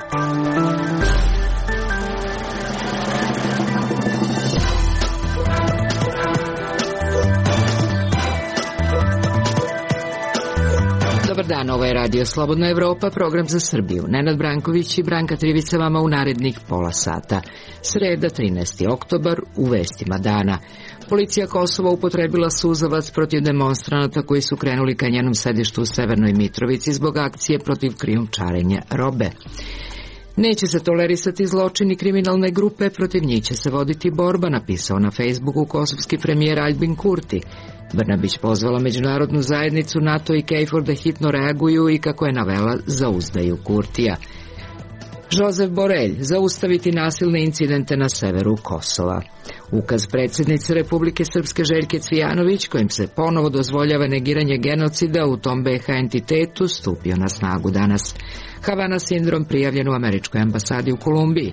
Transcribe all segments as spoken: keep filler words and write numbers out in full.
Dobar dan, ovo je Radio Slobodna Evropa, program za Srbiju. Nenad Branković i Branka Trivica vama u narednih pola sata. Sreda, trinaesti oktobar, u vestima dana. Policija Kosova upotrebila suzavac protiv demonstranata koji su krenuli ka njenom sedištu u Severnoj Mitrovici zbog akcije protiv krijumčarenja robe. Neće se tolerisati zločini kriminalne grupe, protiv njih će se voditi borba, napisao na Facebooku kosovski premijer Aljbin Kurti. Brnabić pozvala međunarodnu zajednicu NATO i KFOR da hitno reaguju i, kako je navela, zauzdaju Kurtija. Josep Borelj, zaustaviti nasilne incidente na severu Kosova. Ukaz predsjednice Republike Srpske Željke Cvijanović, kojim se ponovo dozvoljava negiranje genocida u tom B H entitetu, stupio na snagu danas. Havana sindrom prijavljen u američkoj ambasadi u Kolumbiji.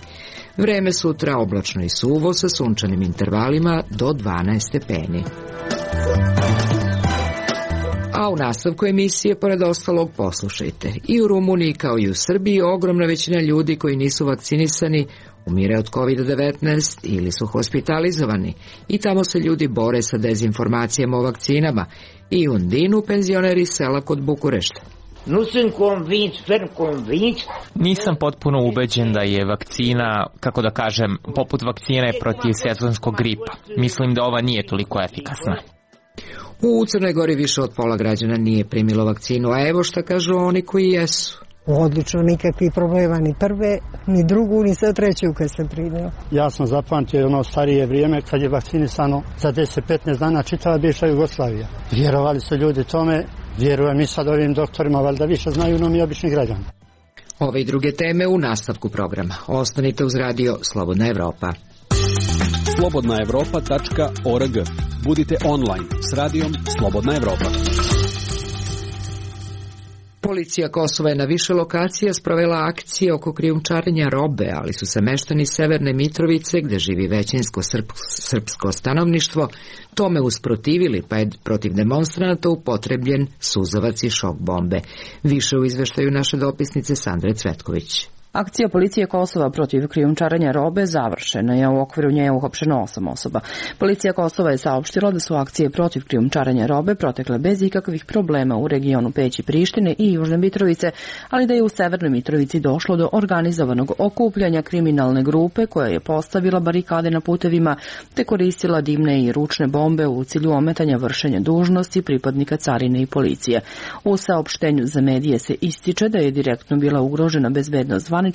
Vreme sutra oblačno i suvo sa sunčanim intervalima do dvanaest stepeni. A u nastavku emisije, pored ostalog, poslušajte. I u Rumuniji kao i u Srbiji ogromna većina ljudi koji nisu vakcinisani umire od kovid devetnaest ili su hospitalizovani. I tamo se ljudi bore sa dezinformacijama o vakcinama. I u Undinu penzioneri sela kod Bukurešta. Nisam potpuno ubeđen da je vakcina, kako da kažem, poput vakcine protiv sezonskog gripa. Mislim da ova nije toliko efikasna. U Crnoj Gori više od pola građana nije primilo vakcinu, a evo šta kažu oni koji jesu. Odlično, nikakvih problema, ni prve, ni drugu, ni sad treću kad sam primio. Ja sam zapamtio ono starije vrijeme kad je vakcinisano za deset do petnaest dana čitava bivša Jugoslavija. Vjerovali su ljudi tome, vjerujem i sad ovim doktorima, valjda više znaju no mi obični građani. Ove i druge teme u nastavku programa. Ostanite uz radio Slobodna Evropa. slobodna evropa tačka org. Budite online s radijom Slobodna Evropa. Policija Kosova je na više lokacija sprovela akcije oko krijumčarenja robe, ali su se meštani Severne Mitrovice, gde živi većinsko srpsko stanovništvo, tome usprotivili, pa je protiv demonstranata upotrebljen suzavac i šok bombe. Više u izveštaju naše dopisnice Sandre Cvetković. Akcija policije Kosova protiv krijumčarenja robe završena je, u okviru nje je uhapšeno osam osoba. Policija Kosova je saopštila da su akcije protiv krijumčarenja robe protekle bez ikakvih problema u regionu Peć i Prištine i Južne Mitrovice, ali da je u Severnoj Mitrovici došlo do organizovanog okupljanja kriminalne grupe koja je postavila barikade na putevima te koristila dimne i ručne bombe u cilju ometanja vršenja dužnosti pripadnika carine i policije. U saopštenju za medije se ističe da je direktno bila ugrožena bezbednost zvaničnika,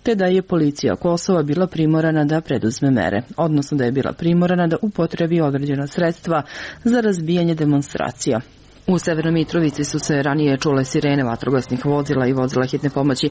te da je policija Kosova bila primorana da preduzme mere, odnosno da je bila primorana da upotrebi određena sredstva za razbijanje demonstracija. U Severnoj Mitrovici su se ranije čule sirene vatrogasnih vozila i vozila hitne pomoći.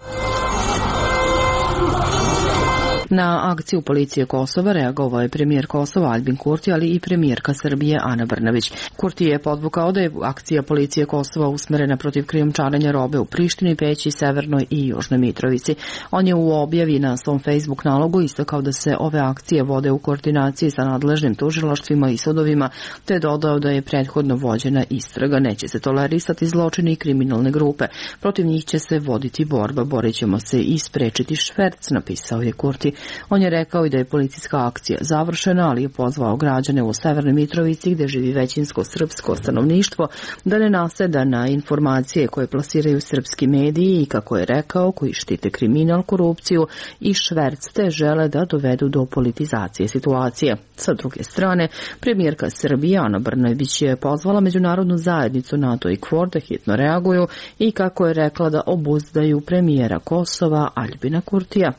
Na akciju policije Kosova reagovao je premijer Kosova Aljbin Kurti, ali i premijerka Srbije Ana Brnabić. Kurti je podvukao da je akcija policije Kosova usmerena protiv krijumčarenja robe u Prištini, Peći, Severnoj i Južnoj Mitrovici. On je u objavi na svom Facebook nalogu istakao da se ove akcije vode u koordinaciji sa nadležnim tužilaštvima i sudovima, te dodao da je prethodno vođena istraga. Neće se tolerisati zločini i kriminalne grupe. Protiv njih će se voditi borba, borit ćemo se i sprečiti šverc, napisao je Kurti. On je rekao i da je policijska akcija završena, ali je pozvao građane u Severnoj Mitrovici, gde živi većinsko srpsko stanovništvo, da ne naseda na informacije koje plasiraju srpski mediji i, kako je rekao, koji štite kriminal, korupciju i šverc, te žele da dovedu do politizacije situacije. Sa druge strane, premijerka Srbije Ana Brnabić je pozvala međunarodnu zajednicu NATO i KFOR da hitno reaguju i, kako je rekla, da obuzdaju premijera Kosova Aljbina Kurtija.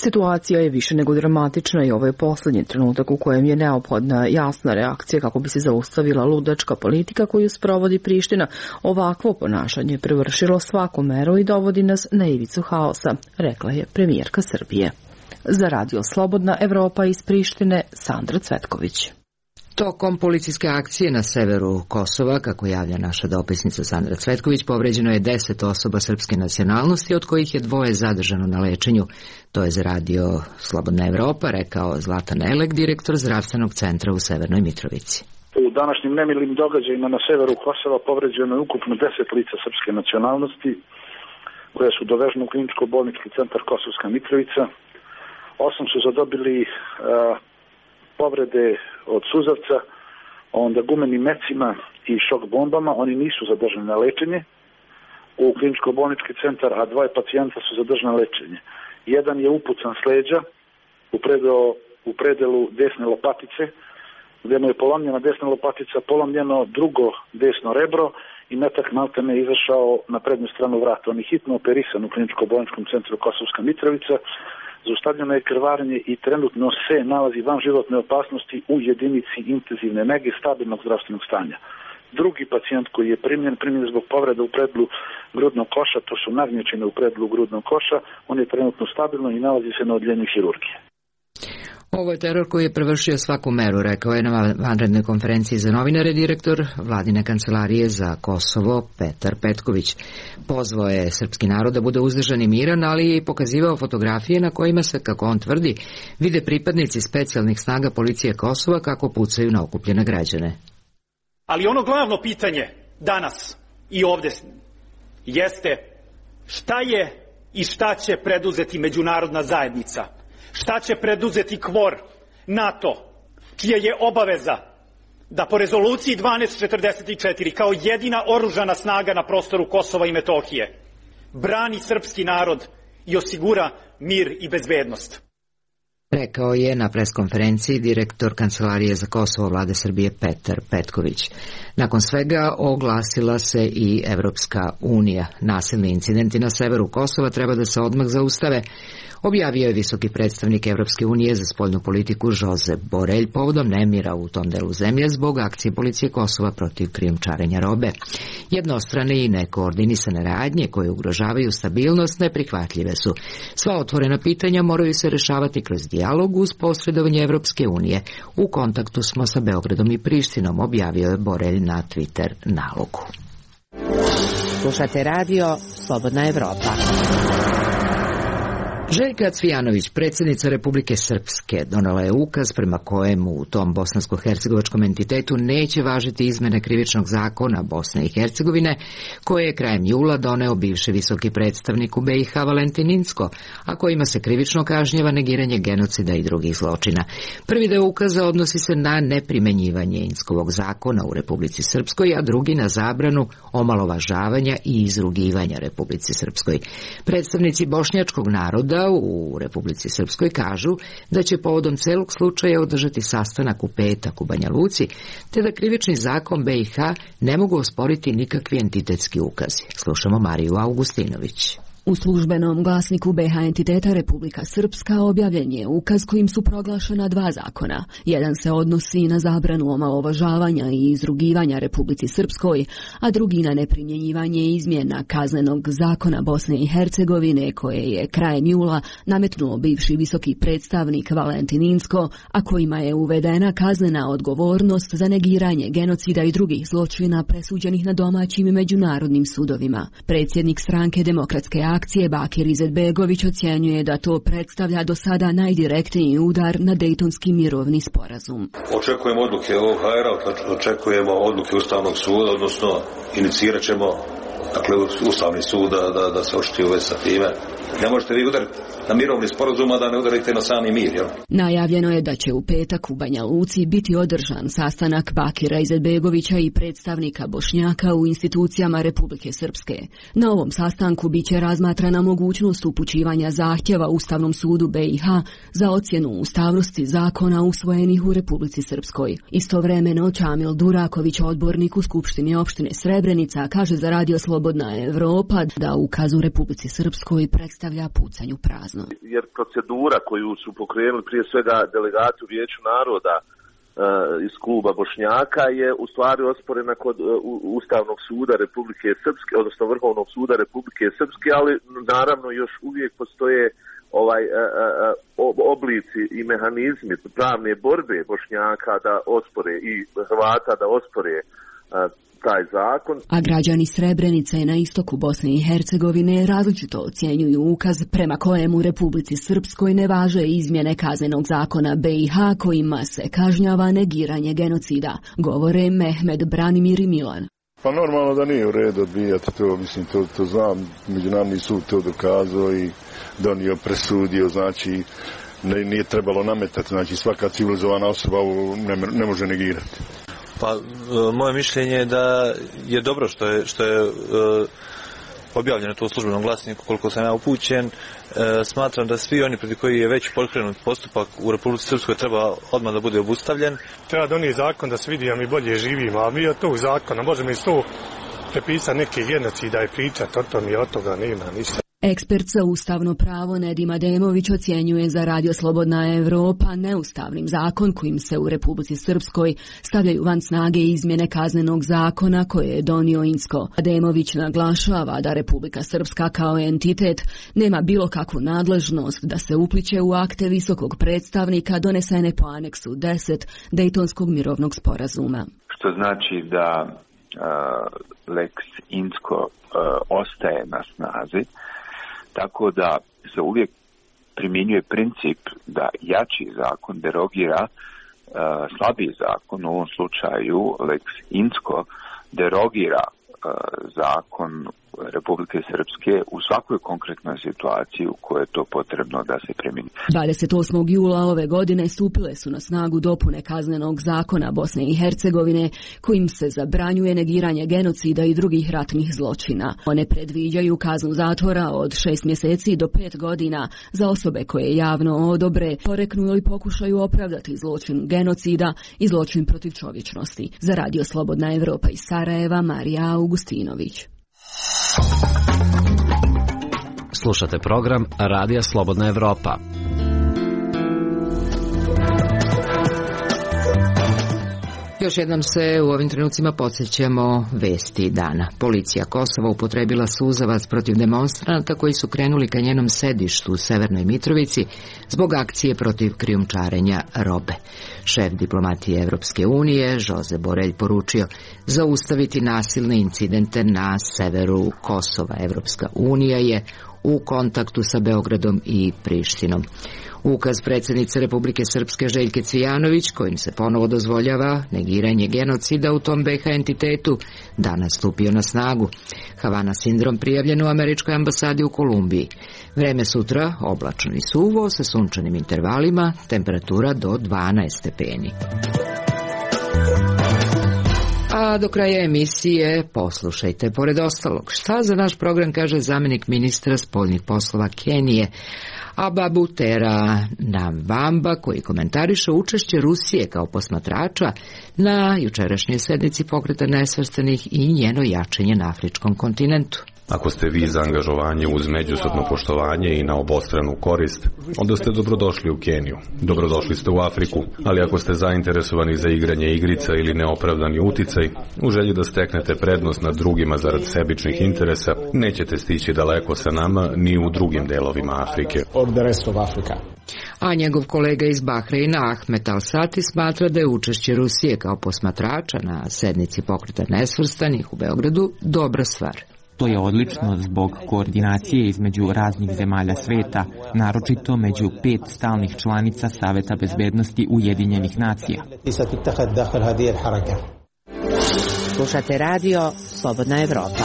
Situacija je više nego dramatična i ovo je posljednji trenutak u kojem je neophodna jasna reakcija kako bi se zaustavila ludačka politika koju sprovodi Priština. Ovakvo ponašanje je prevršilo svaku meru i dovodi nas na ivicu haosa, rekla je premijerka Srbije. Za Radio Slobodna Evropa iz Prištine, Sandra Cvetković. Tokom policijske akcije na severu Kosova, kako javlja naša dopisnica Sandra Cvetković, povređeno je deset osoba srpske nacionalnosti, od kojih je dvoje zadržano na lečenju. To je za Radio Slobodna Evropa rekao Zlatan Elek, direktor zdravstvenog centra u Severnoj Mitrovici. U današnjim nemilim događajima na severu Kosova povređeno je ukupno deset lica srpske nacionalnosti. koje su dovežene u kliničko-bolnički centar Kosovska Mitrovica. Osam su zadobili a, povrede od suzavca, onda gumenim mecima i šok bombama. Oni nisu zadržani na lečenje u kliničko-bolnički centar, a dvoje pacijenta su zadržani na lečenje. Jedan je upucan s leđa u, predelo, u predelu desne lopatice, gdje mu je polomljena desna lopatica, polomljeno drugo desno rebro i metak maltene je izašao na prednju stranu vrata. On je hitno operisan u kliničko-bolničkom centru Kosovska Mitrovica, zaustavljeno je krvarenje i trenutno se nalazi van životne opasnosti u jedinici intenzivne nege stabilnog zdravstvenog stanja. Drugi pacijent koji je primljen, primljen zbog povreda u predlu grudnog koša, to su nagnječine u predlu grudnog koša, on je trenutno stabilno i nalazi se na odljenju hirurgije. Ovo je teror koji je prevršio svaku meru, rekao je na vanrednoj konferenciji za novinare direktor Vladine kancelarije za Kosovo Petar Petković. Pozvao je srpski narod da bude uzdržan i miran, ali je pokazivao fotografije na kojima se, kako on tvrdi, vide pripadnici specijalnih snaga policije Kosova kako pucaju na okupljene građane. Ali ono glavno pitanje danas i ovdje jeste šta je i šta će preduzeti međunarodna zajednica? Šta će preduzeti KFOR, NATO, čija je obaveza da po rezoluciji dvanaest četrdeset četiri kao jedina oružana snaga na prostoru Kosova i Metohije brani srpski narod i osigura mir i bezbednost. Rekao je na preskonferenciji direktor Kancelarije za Kosovo Vlade Srbije Petar Petković. Nakon svega oglasila se i Evropska unija. Nasilni incidenti na severu Kosova treba da se odmah zaustave, objavio je visoki predstavnik Evropske unije za spoljnu politiku Josep Borrell povodom nemira u tom delu zemlje zbog akcije policije Kosova protiv krijumčarenja robe. Jednostrane i nekoordinisane radnje koje ugrožavaju stabilnost neprihvatljive su. Sva otvorena pitanja moraju se rešavati kroz dijalog uz posredovanje Evropske unije. U kontaktu smo sa Beogradom i Prištinom, objavio je Borrell na Twitter nalogu. Slušate radio Slobodna Evropa. Željka Cvijanović, predsjednica Republike Srpske, donela je ukaz prema kojemu u tom bosansko-hercegovačkom entitetu neće važiti izmene krivičnog zakona Bosne i Hercegovine, koje je krajem jula doneo bivši visoki predstavnik u B i H Valentin Incko, a kojima se krivično kažnjava negiranje genocida i drugih zločina. Prvi deo ukaza odnosi se na neprimenjivanje Inckovog zakona u Republici Srpskoj, a drugi na zabranu omalovažavanja i izrugivanja Republici Srpskoj. Predstavnici bošnjačkog naroda u Republici Srpskoj kažu da će povodom celog slučaja održati sastanak u petak u Banja Luci, te da krivični zakon B i H ne mogu osporiti nikakvi entitetski ukazi. Slušamo Mariju Augustinović. U službenom glasniku B H entiteta Republika Srpska objavljen je ukaz kojim su proglašena dva zakona. Jedan se odnosi na zabranu omalovažavanja i izrugivanja Republici Srpskoj, a drugi na neprimjenjivanje izmjena kaznenog zakona Bosne i Hercegovine koje je krajem jula nametnuo bivši visoki predstavnik Valentin Incko, a kojima je uvedena kaznena odgovornost za negiranje genocida i drugih zločina presuđenih na domaćim i međunarodnim sudovima. Predsjednik stranke Demokratske akcije Bakir Izetbegović ocjenjuje da to predstavlja do sada najdirektniji udar na Dejtonski mirovni sporazum. Očekujemo odluke O H R-a, očekujemo odluke Ustavnog suda, odnosno inicirat ćemo dakle, Ustavni sud da, da, da se očiti u vezi sa time. Ne možete vi udariti na mirovni sporazum, a da ne udarite na sami mir, jel? Najavljeno je da će u petak u Banja Luci biti održan sastanak Bakira Izetbegovića i predstavnika Bošnjaka u institucijama Republike Srpske. Na ovom sastanku biće razmatrana mogućnost upućivanja zahtjeva Ustavnom sudu B i H za ocjenu ustavnosti zakona usvojenih u Republici Srpskoj. Istovremeno Čamil Duraković, odbornik u Skupštini opštine Srebrenica, kaže za radio Slobodna Evropa da ukaz u Republici Srpskoj predstavlja pucanj u prazno. Jer procedura koju su pokrenuli prije svega delegati u Vijeću naroda e, iz kluba Bošnjaka je u stvari osporena kod e, Ustavnog suda Republike Srpske, odnosno Vrhovnog suda Republike Srpske, ali naravno još uvijek postoje ovaj e, e, oblici i mehanizmi pravne borbe Bošnjaka da ospore i Hrvata da ospore e, taj zakon. A građani Srebrenice na istoku Bosne i Hercegovine različito ocjenjuju ukaz prema kojemu Republici Srpskoj ne važe izmjene kaznenog zakona B i H kojima se kažnjava negiranje genocida, govore Mehmed, Branimir i Milan. Pa normalno da nije u redu odbijati to, mislim, to, to znam, Međunarodni sud to dokazao i donio, presudio, znači ne, nije trebalo nametati, znači svaka civilizovana osoba ovo ne, ne može negirati. Pa moje mišljenje je da je dobro što je, što je objavljeno to u službenom glasniku, koliko sam ja upućen. E, smatram da svi oni protiv koji je već pokrenut postupak u Republici Srpskoj treba odmah da bude obustavljen. Treba donijeti zakon da se vidi da mi bolje živimo, a mi od tog zakona možemo iz to prepisati neke genocida i pričati o tom i od toga nema ništa. Ekspert za ustavno pravo Nedim Ademović ocjenjuje za Radio Slobodna Evropa neustavnim zakon kojim se u Republici Srpskoj stavljaju van snage izmjene kaznenog zakona koje je donio Incko. Ademović naglašava da Republika Srpska kao entitet nema bilo kakvu nadležnost da se upliće u akte visokog predstavnika donesene po aneksu deset Dejtonskog mirovnog sporazuma. Što znači da uh, Lex Incko uh, ostaje na snazi, tako da se uvijek primjenjuje princip da jači zakon derogira uh, slabiji zakon, u ovom slučaju Lex Incko derogira uh, zakon Republike Srpske u svakoj konkretnoj situaciji u kojoj je to potrebno da se primjeni. dvadeset osmog jula ove godine stupile su na snagu dopune kaznenog zakona Bosne i Hercegovine kojim se zabranjuje negiranje genocida i drugih ratnih zločina. One predviđaju kaznu zatvora od šest mjeseci do pet godina za osobe koje javno odobre, poreknu ili pokušaju opravdati zločin genocida i zločin protiv čovječnosti. Za Radio Slobodna Evropa iz Sarajeva, Marija Augustinović. Slušate program Radija Slobodna Evropa. Još jednom se u ovim trenucima podsjećamo vesti dana. Policija Kosova upotrebila suzavac protiv demonstranata koji su krenuli ka njenom sedištu u Severnoj Mitrovici zbog akcije protiv krijumčarenja robe. Šef diplomatije Evropske unije, Josep Borrell, poručio zaustaviti nasilne incidente na severu Kosova. Evropska unija je u kontaktu sa Beogradom i Prištinom. Ukaz predsjednice Republike Srpske Željke Cvijanović, kojim se ponovo dozvoljava negiranje genocida u tom be ha entitetu, danas stupio na snagu. Havana sindrom prijavljen u američkoj ambasadi u Kolumbiji. Vreme sutra oblačno i suvo sa sunčanim intervalima, temperatura do dvanaest stepeni. A do kraja emisije poslušajte, pored ostalog, šta za naš program kaže zamjenik ministra spoljnih poslova Kenije, Ababutera Navamba, koji komentariše učešće Rusije kao posmatrača na jučerašnjoj sednici Pokreta nesvrstanih i njeno jačanje na afričkom kontinentu. Ako ste vi za angažovanje uz međusobno poštovanje i na obostranu korist, onda ste dobrodošli u Keniju. Dobrodošli ste u Afriku, ali ako ste zainteresovani za igranje igrica ili neopravdani uticaj, u želji da steknete prednost nad drugima zarad sebičnih interesa, nećete stići daleko sa nama ni u drugim delovima Afrike. A njegov kolega iz Bahreina, Ahmed Al-Sati, smatra da je učešće Rusije kao posmatrača na sednici Pokreta nesvrstanih u Beogradu dobra stvar. To je odlično zbog koordinacije između raznih zemalja sveta, naročito među pet stalnih članica Saveta bezbednosti Ujedinjenih nacija. Slušate radio Slobodna Evropa.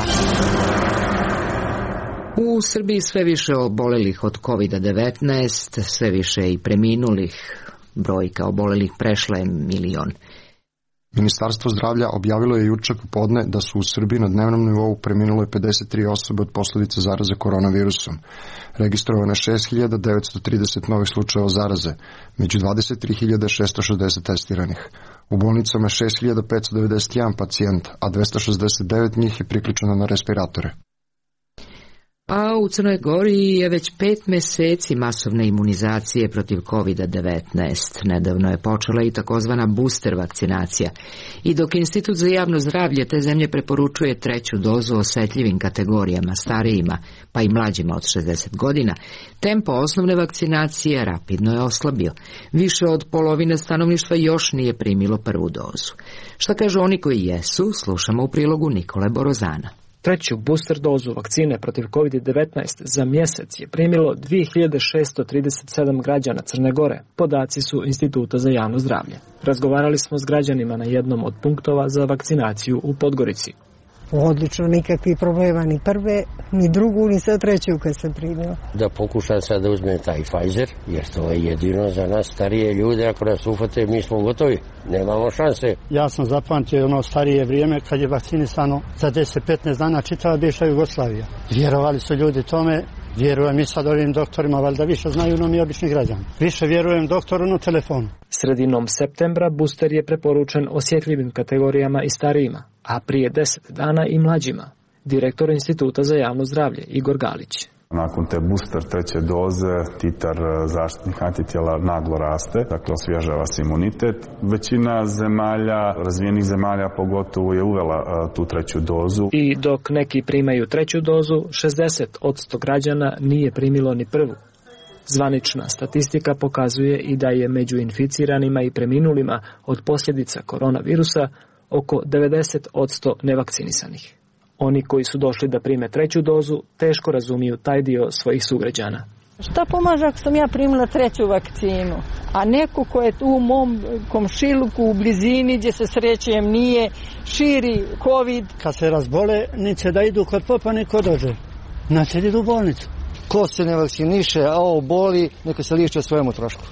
U Srbiji sve više obolelih od kovid devetnaest, sve više i preminulih. Brojka obolelih prešla je milion. Ministarstvo zdravlja objavilo je juče popodne da su u Srbiji na dnevnom nivou preminule pedeset tri osobe od posljedica zaraze koronavirusom. Registrovano je šest hiljada devetsto trideset novih slučajeva zaraze, među dvadeset tri hiljade šesto šezdeset testiranih. U bolnicama je šest hiljada petsto devedeset jedan pacijent, a dvesta šezdeset devet njih je priključeno na respiratore. A u Crnoj Gori je već pet mjeseci masovne imunizacije protiv kovid devetnaest. Nedavno je počela i takozvana booster vakcinacija. I dok Institut za javno zdravlje te zemlje preporučuje treću dozu osjetljivim kategorijama, starijima, pa i mlađima od šezdeset godina, tempo osnovne vakcinacije rapidno je oslabio. Više od polovine stanovništva još nije primilo prvu dozu. Šta kažu oni koji jesu, slušamo u prilogu Nikole Borozana. Treću booster dozu vakcine protiv kovid devetnaest za mjesec je primilo dvije hiljade šesto trideset sedam građana Crne Gore. Podaci su Instituta za javno zdravlje. Razgovarali smo s građanima na jednom od punktova za vakcinaciju u Podgorici. Odlično, nikakvih problema, ni prve, ni drugu, ni sad treću kad sam primila. Da pokušam sad da uzmem taj Pfizer, jer to je jedino za nas starije ljude, ako nas ufate, mi smo gotovi, nemamo šanse. Ja sam zapamtio ono starije vrijeme kad je vakcinisano za deset do petnaest dana čitava bivša Jugoslavija. Vjerovali su ljudi tome, vjerujem i sad ovim doktorima, valjda više znaju no mi obični građani. Više vjerujem doktoru na telefonu. Sredinom septembra booster je preporučen osjetljivim kategorijama i starijima, a prije deset dana i mlađima. Direktor Instituta za javno zdravlje Igor Galić. Nakon te booster treće doze titar zaštitnih antitijela naglo raste, dakle osvježava se imunitet. Većina zemalja, razvijenih zemalja pogotovo je uvela uh, tu treću dozu. I dok neki primaju treću dozu, šezdeset posto građana nije primilo ni prvu. Zvanična statistika pokazuje i da je među inficiranima i preminulima od posljedica koronavirusa oko devedeset posto nevakcinisanih. Oni koji su došli da prime treću dozu teško razumiju taj dio svojih sugrađana. Šta pomaže ako sam ja primila treću vakcinu, a neko ko je tu u mom komšiluku u blizini gdje se srećem nije, širi COVID. Kad se razbole, neće da idu kod popa, niko dođe. Neće da idu u bolnicu. Ko se ne vakciniše, a ovo boli, neka se liječi o svojemu trošku.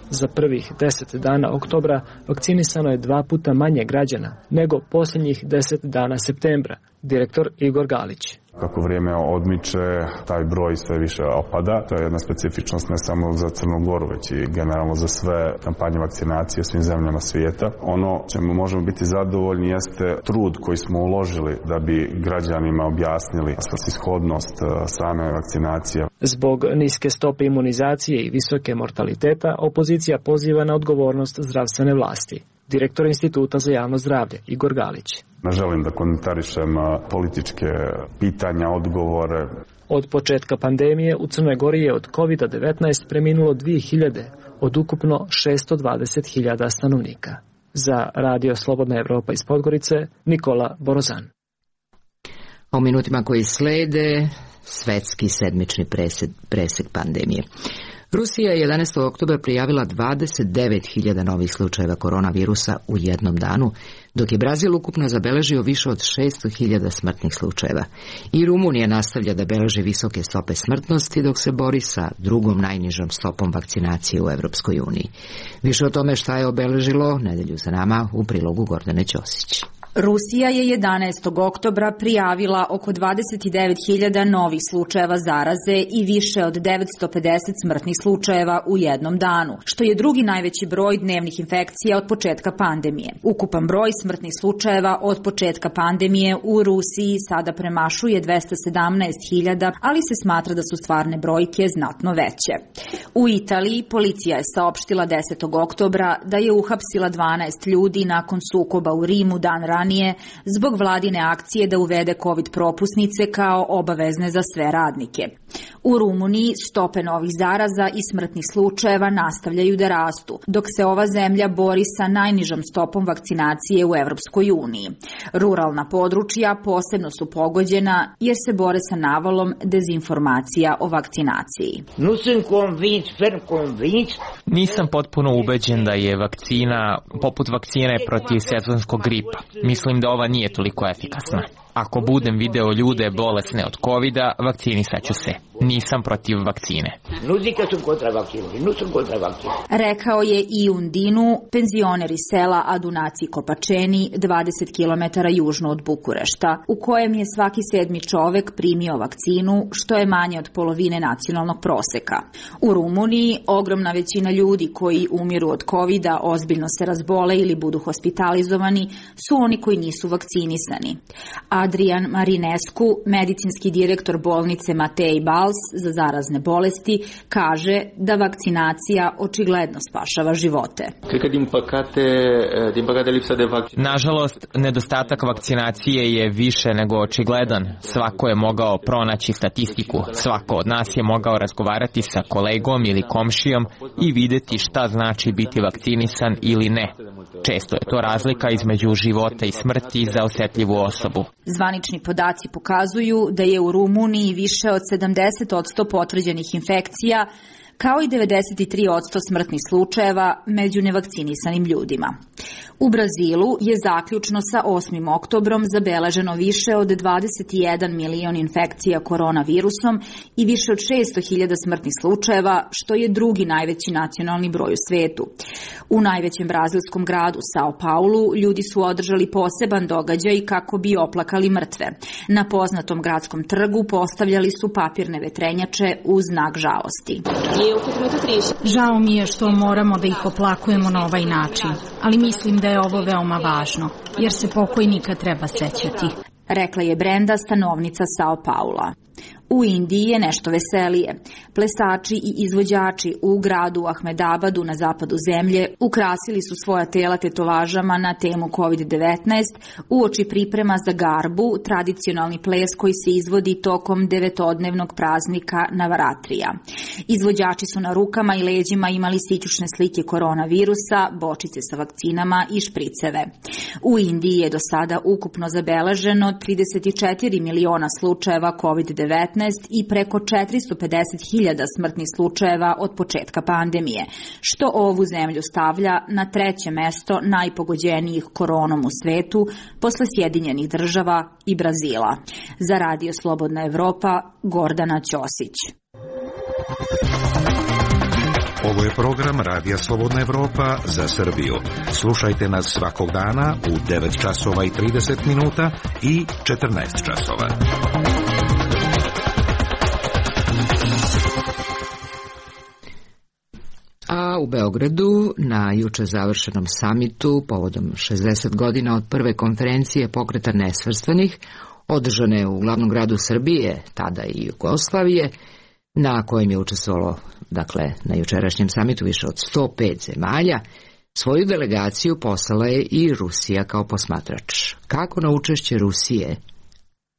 Za prvih deset dana oktobra vakcinisano je dva puta manje građana nego posljednjih deset dana septembra, direktor Igor Galić. Kako vrijeme odmiče, taj broj sve više opada. To je jedna specifičnost ne samo za Crnu Goru, već i generalno za sve kampanje vakcinacije svim zemljama svijeta. Ono čemu možemo biti zadovoljni jeste trud koji smo uložili da bi građanima objasnili svrsishodnost same vakcinacije. Zbog niske stope imunizacije i visoke mortaliteta, opozicija poziva na odgovornost zdravstvene vlasti. Direktor Instituta za javno zdravlje Igor Galić. Ne želim da komentarišem političke pitanja, odgovore. Od početka pandemije u Crnoj Gori je od kovid devetnaest preminulo dvije hiljade od ukupno šesto dvadeset hiljada stanovnika. Za Radio Slobodna Evropa iz Podgorice, Nikola Borozan. A u minutima koji slede, svetski sedmični presek, presek pandemije. Rusija je jedanaestog oktobra prijavila dvadeset devet hiljada novih slučajeva koronavirusa u jednom danu, dok je Brazil ukupno zabeležio više od šesto hiljada smrtnih slučajeva. I Rumunija nastavlja da beleži visoke stope smrtnosti, dok se bori sa drugom najnižom stopom vakcinacije u Evropskoj uniji. Više o tome šta je obeležilo nedelju za nama u prilogu Gordane Ćosić. Rusija je jedanaestog oktobra prijavila oko dvadeset devet hiljada novih slučajeva zaraze i više od devetsto pedeset smrtnih slučajeva u jednom danu, što je drugi najveći broj dnevnih infekcija od početka pandemije. Ukupan broj smrtnih slučajeva od početka pandemije u Rusiji sada premašuje dvesta sedamnaest hiljada, ali se smatra da su stvarne brojke znatno veće. U Italiji policija je saopštila desetog oktobra da je uhapsila dvanaest ljudi nakon sukoba u Rimu dan ranije zbog vladine akcije da uvede COVID propusnice kao obavezne za sve radnike. U Rumuniji stope novih zaraza i smrtnih slučajeva nastavljaju da rastu, dok se ova zemlja bori sa najnižom stopom vakcinacije u Evropskoj uniji. Ruralna područja posebno su pogođena jer se bore sa navalom dezinformacija o vakcinaciji. Nisam potpuno ubeđen da je vakcina poput vakcine protiv sezonskog gripa. Mislim da ova nije toliko efikasna. Ako budem video ljude bolesne od kovida, vakcinisat ću se. Nisam protiv vakcine. Rekao je i Undinu, penzioner iz sela Adunaci Kopačeni, dvadeset kilometara južno od Bukurešta, u kojem je svaki sedmi čovek primio vakcinu, što je manje od polovine nacionalnog proseka. U Rumuniji ogromna većina ljudi koji umiru od kovida, ozbiljno se razbole ili budu hospitalizovani, su oni koji nisu vakcinisani. Adrian Marinescu, medicinski direktor bolnice Matej Bals za zarazne bolesti, kaže da vakcinacija očigledno spašava živote. Nažalost, nedostatak vakcinacije je više nego očigledan. Svako je mogao pronaći statistiku, svako od nas je mogao razgovarati sa kolegom ili komšijom i vidjeti šta znači biti vakcinisan ili ne. Često je to razlika između života i smrti za osjetljivu osobu. Zvanični podaci pokazuju da je u Rumuniji više od sedamdeset posto potvrđenih infekcija, kao i devedeset tri posto smrtnih slučajeva među nevakcinisanim ljudima. U Brazilu je zaključno sa osmim oktobrom zabeleženo više od dvadeset jedan milion infekcija koronavirusom i više od šesto hiljada smrtnih slučajeva, što je drugi najveći nacionalni broj u svetu. U najvećem brazilskom gradu Sao Paulu ljudi su održali poseban događaj kako bi oplakali mrtve. Na poznatom gradskom trgu postavljali su papirne vetrenjače u znak žalosti. Žao mi je što moramo da ih oplakujemo na ovaj način, ali mislim da je ovo veoma važno, jer se pokojnika treba sećati, rekla je Brenda, stanovnica Sao Paula. U Indiji je nešto veselije. Plesači i izvođači u gradu Ahmedabadu na zapadu zemlje ukrasili su svoja tela tetovažama na temu kovid devetnaest uoči priprema za Garbu, tradicionalni ples koji se izvodi tokom devetodnevnog praznika Navaratrija. Izvođači su na rukama i leđima imali sićušne slike koronavirusa, bočice sa vakcinama i špriceve. U Indiji je do sada ukupno zabeleženo trideset četiri miliona slučajeva kovid devetnaest i preko četiristo pedeset hiljada smrtnih slučajeva od početka pandemije, što ovu zemlju stavlja na treće mesto najpogođenijih koronom u svetu posle Sjedinjenih država i Brazila. Za Radio Slobodna Evropa, Gordana Ćosić. Ovo je program Radija Slobodna Evropa za Srbiju. Slušajte nas svakog dana u devet časova i trideset minuta i četrnaest časova. A u Beogradu na juče završenom samitu povodom šezdeset godina od prve konferencije Pokreta nesvrstanih, održane u glavnom gradu Srbije, tada i Jugoslavije, na kojem je učestvovalo, dakle, na jučerašnjem samitu više od sto pet zemalja, svoju delegaciju poslala je i Rusija kao posmatrač. Kako na učešće Rusije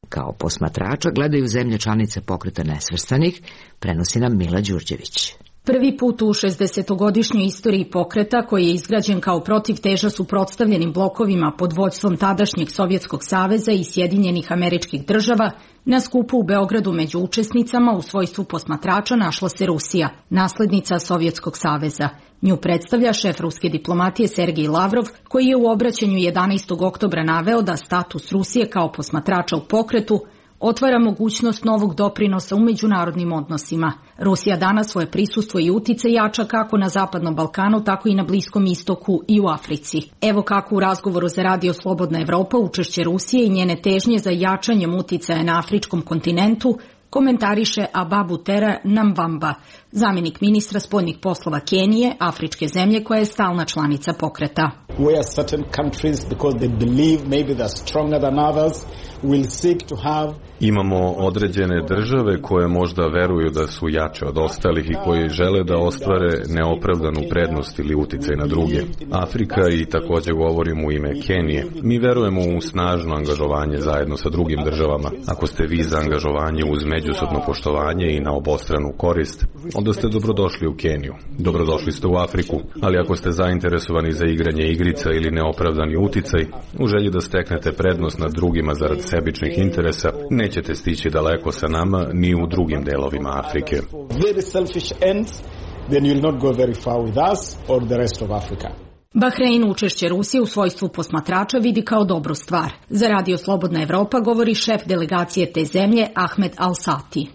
kao posmatrača gledaju zemlje članice Pokreta nesvrstanih, prenosi nam Mila Đurđević. Prvi put u šezdesetogodišnjoj istoriji pokreta, koji je izgrađen kao protivteža suprotstavljenim blokovima pod vođstvom tadašnjeg Sovjetskog saveza i Sjedinjenih Američkih država, na skupu u Beogradu među učesnicama u svojstvu posmatrača našla se Rusija, naslednica Sovjetskog saveza. Nju predstavlja šef ruske diplomatije Sergej Lavrov, koji je u obraćanju jedanaestog oktobra naveo da status Rusije kao posmatrača u pokretu otvara mogućnost novog doprinosa u međunarodnim odnosima. Rusija danas svoje prisustvo i utice jača kako na Zapadnom Balkanu, tako i na Bliskom istoku i u Africi. Evo kako u razgovoru za Radio Slobodna Evropa učešće Rusije i njene težnje za jačanjem uticaja na afričkom kontinentu komentariše Ababutera Namvamba, zamjenik ministra spoljnih poslova Kenije, afričke zemlje koja je stalna članica pokreta. Where certain countries, because they believe maybe they're stronger than others, will seek to have. Imamo određene države koje možda veruju da su jače od ostalih i koji žele da ostvare neopravdanu prednost ili uticaj na druge. Afrika, i također govorim u ime Kenije. Mi verujemo u snažno angažovanje zajedno sa drugim državama. Ako ste vi za angažovanje uz međusobno poštovanje i na obostranu korist, onda ste dobrodošli u Keniju. Dobrodošli ste u Afriku, ali ako ste zainteresovani za igranje igrica ili neopravdani uticaj, u želji da steknete prednost nad drugima zarad sebičnih interesa, nećete stići daleko sa nama ni u drugim delovima Afrike. Very selfish ends, then you'll not go very far with us or the rest of Africa. Bahrein učešće Rusije u svojstvu posmatrača vidi kao dobru stvar. Za Radio Slobodna Evropa govori šef delegacije te zemlje Ahmed Al-Sati.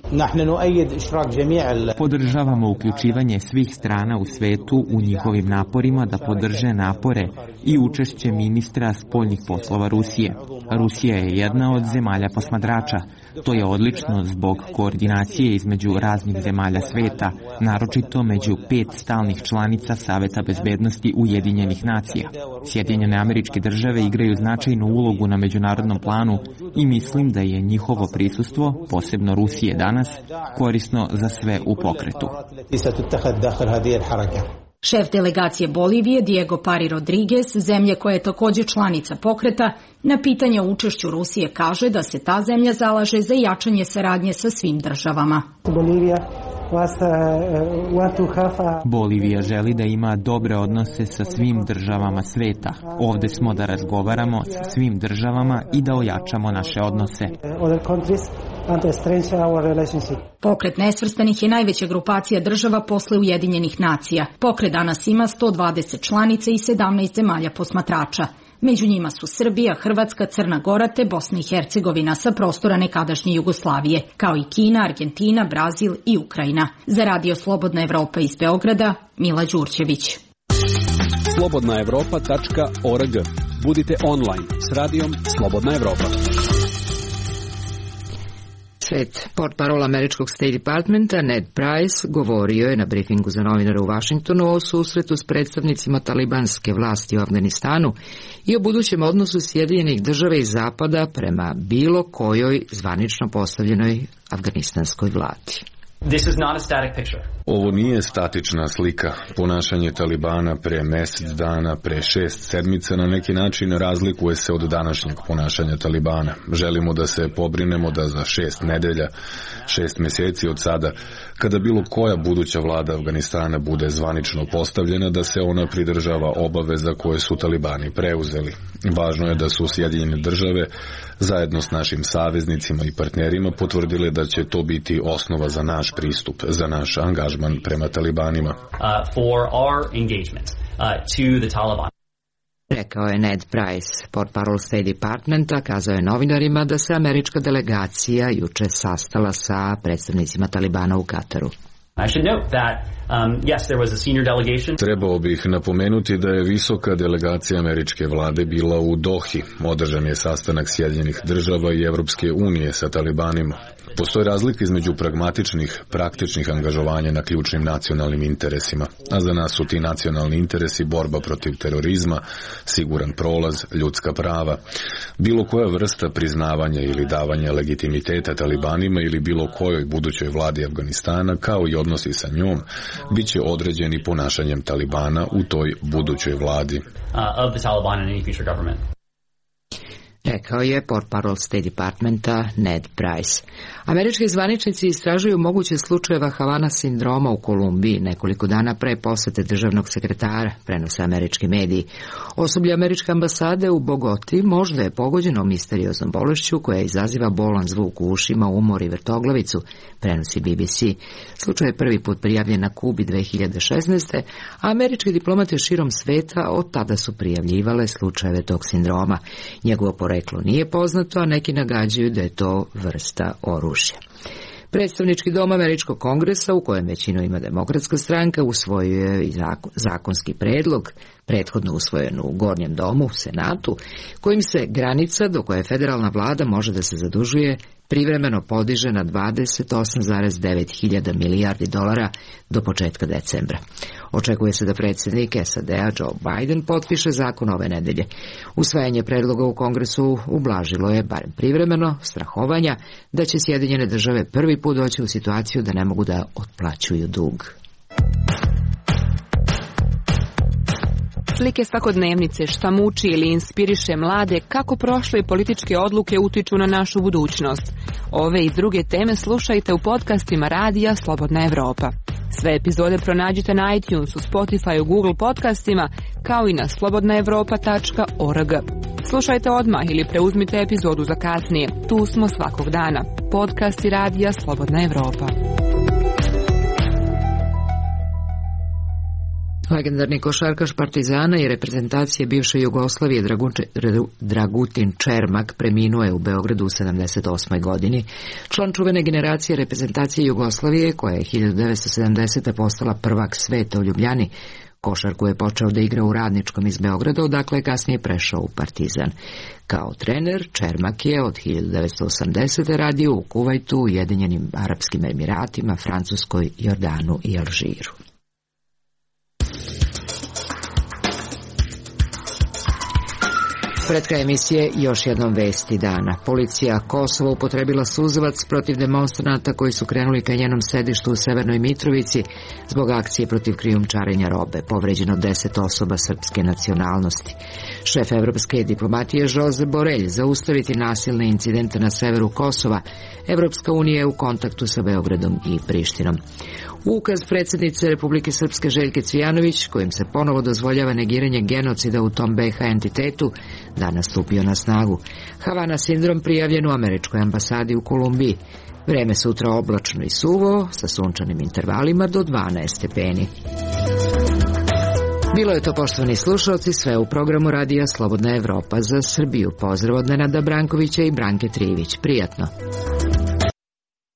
Podržavamo uključivanje svih strana u svetu u njihovim naporima da podrže napore i učešće ministra spoljnih poslova Rusije. Rusija je jedna od zemalja posmatrača. To je odlično zbog koordinacije između raznih zemalja sveta, naročito među pet stalnih članica Saveta bezbednosti Ujedinjenih nacija. Sjedinjene Američke države igraju značajnu ulogu na međunarodnom planu i mislim da je njihovo prisustvo, posebno Rusije danas, korisno za sve u pokretu. Šef delegacije Bolivije Diego Pari Rodriguez, zemlje koja je također članica pokreta, na pitanje o učešću Rusije kaže da se ta zemlja zalaže za jačanje saradnje sa svim državama. Bolivija Bolivija želi da ima dobre odnose sa svim državama sveta. Ovde smo da razgovaramo sa svim državama i da ojačamo naše odnose. Pokret nesvrstanih je najveća grupacija država posle Ujedinjenih nacija. Pokret danas ima sto dvadeset članica i sedamnaest zemalja posmatrača. Među njima su Srbija, Hrvatska, Crna Gora te Bosna i Hercegovina sa prostora nekadašnje Jugoslavije, kao i Kina, Argentina, Brazil i Ukrajina. Za Radio Slobodna Evropa iz Beograda, Mila Đurđević. slobodna evropa tačka org. Budite online s radijom Slobodna Evropa. Šef portparola američkog State Departmenta Ned Price govorio je na brifingu za novinare u Vašingtonu o susretu s predstavnicima talibanske vlasti u Afganistanu i o budućem odnosu Sjedinjenih država i Zapada prema bilo kojoj zvanično postavljenoj afganistanskoj vladi. This is not a static picture. Ovo nije statična slika. Ponašanje Talibana pre mesec dana, pre šest sedmica na neki način razlikuje se od današnjeg ponašanja Talibana. Želimo da se pobrinemo da za šest nedelja, šest meseci od sada, kada bilo koja buduća vlada Afganistana bude zvanično postavljena, da se ona pridržava obaveza koje su Talibani preuzeli. Važno je da su Sjedinjene države zajedno s našim saveznicima i partnerima potvrdile da će to biti osnova za naš pristup, za naš angažman prema Talibanima. Uh, for our engagement uh, to the Taliban. Rekao je Ned Price, portparol State Departmenta, kazao je novinarima da se američka delegacija juče sastala sa predstavnicima Talibana u Kataru. I should note that um, yes, there was a senior delegation. Trebao bih napomenuti da je visoka delegacija američke vlade bila u Dohi. Održan je sastanak Sjedinjenih država i Evropske unije sa Talibanima. Postoji razlika između pragmatičnih, praktičnih angažovanja na ključnim nacionalnim interesima, a za nas su ti nacionalni interesi borba protiv terorizma, siguran prolaz, ljudska prava. Bilo koja vrsta priznavanja ili davanja legitimiteta Talibanima ili bilo kojoj budućoj vladi Afganistana, kao i odnosi sa njom, bit će određeni ponašanjem Talibana u toj budućoj vladi. Uh, of the Taliban in any future government. Rekao je portparol State Departmenta Ned Price. Američki zvaničnici istražuju moguće slučajeva Havana sindroma u Kolumbiji nekoliko dana pre posete državnog sekretara, prenose američki mediji. Osoblje američke ambasade u Bogoti možda je pogođeno misterioznom bolešću koja izaziva bolan zvuk u ušima, umor i vrtoglavicu, prenosi B B C. Slučaj je prvi put prijavljen na Kubi dve hiljade šesnaeste. a američki diplomate širom sveta od tada su prijavljivale slučajeve tog sindroma. Njegovo poreklo nije poznato, a neki nagađaju da je to vrsta oružja. Predstavnički dom američkog kongresa, u kojem većinu ima demokratska stranka, usvojio je i zakonski predlog, prethodno usvojen u Gornjem domu, Senatu, kojim se granica do koje federalna vlada može da se zadužuje privremeno podiže na dvadeset osam zarez devet hiljada milijardi dolara do početka decembra. Očekuje se da predsjednik S A D-a Joe Biden potpiše zakon ove nedelje. Usvajanje predloga u Kongresu ublažilo je, barem privremeno, strahovanja da će Sjedinjene države prvi put doći u situaciju da ne mogu da otplaćuju dug. Slike svakodnevnice, šta muči ili inspiriše mlade, kako prošle političke odluke utiču na našu budućnost. Ove i druge teme slušajte u podcastima Radija Slobodna Evropa. Sve epizode pronađite na iTunesu, Spotifyu, Google podcastima, kao i na slobodna evropa tačka org. Slušajte odmah ili preuzmite epizodu za kasnije. Tu smo svakog dana. Podcasti Radija Slobodna Evropa. Legendarni košarkaš Partizana i reprezentacije bivše Jugoslavije Dragutin Čermak preminuo je u Beogradu u sedamdeset osmoj godini. Član čuvene generacije reprezentacije Jugoslavije, koja je hiljadu devetsto sedamdesete postala prvak sveta u Ljubljani, košarku je počeo da igra u Radničkom iz Beograda, odakle je kasnije prešao u Partizan. Kao trener, Čermak je od hiljadu devetsto osamdesete radio u Kuvajtu, Ujedinjenim Arapskim Emiratima, Francuskoj, Jordanu i Alžiru. Pred kraj emisije još jednom vesti dana. Policija Kosova upotrebila suzavac protiv demonstranata koji su krenuli ka njenom sedištu u Severnoj Mitrovici zbog akcije protiv krijumčarenja robe. Povređeno deset osoba srpske nacionalnosti. Šef evropske diplomatije Josep Borelj zaustaviti nasilne incidente na severu Kosova. Evropska unija je u kontaktu sa Beogradom i Prištinom. Ukaz predsjednice Republike Srpske Željke Cvijanović, kojim se ponovo dozvoljava negiranje genocida u tom be ha entitetu, danas stupio na snagu. Havana sindrom prijavljen u američkoj ambasadi u Kolumbiji. Vreme sutra oblačno i suvo, sa sunčanim intervalima do dvanaest stepeni. Bilo je to, poštovani slušalci, sve u programu Radija Slobodna Evropa za Srbiju. Pozdrav od Nenada Brankovića i Branke Trivić. Prijatno.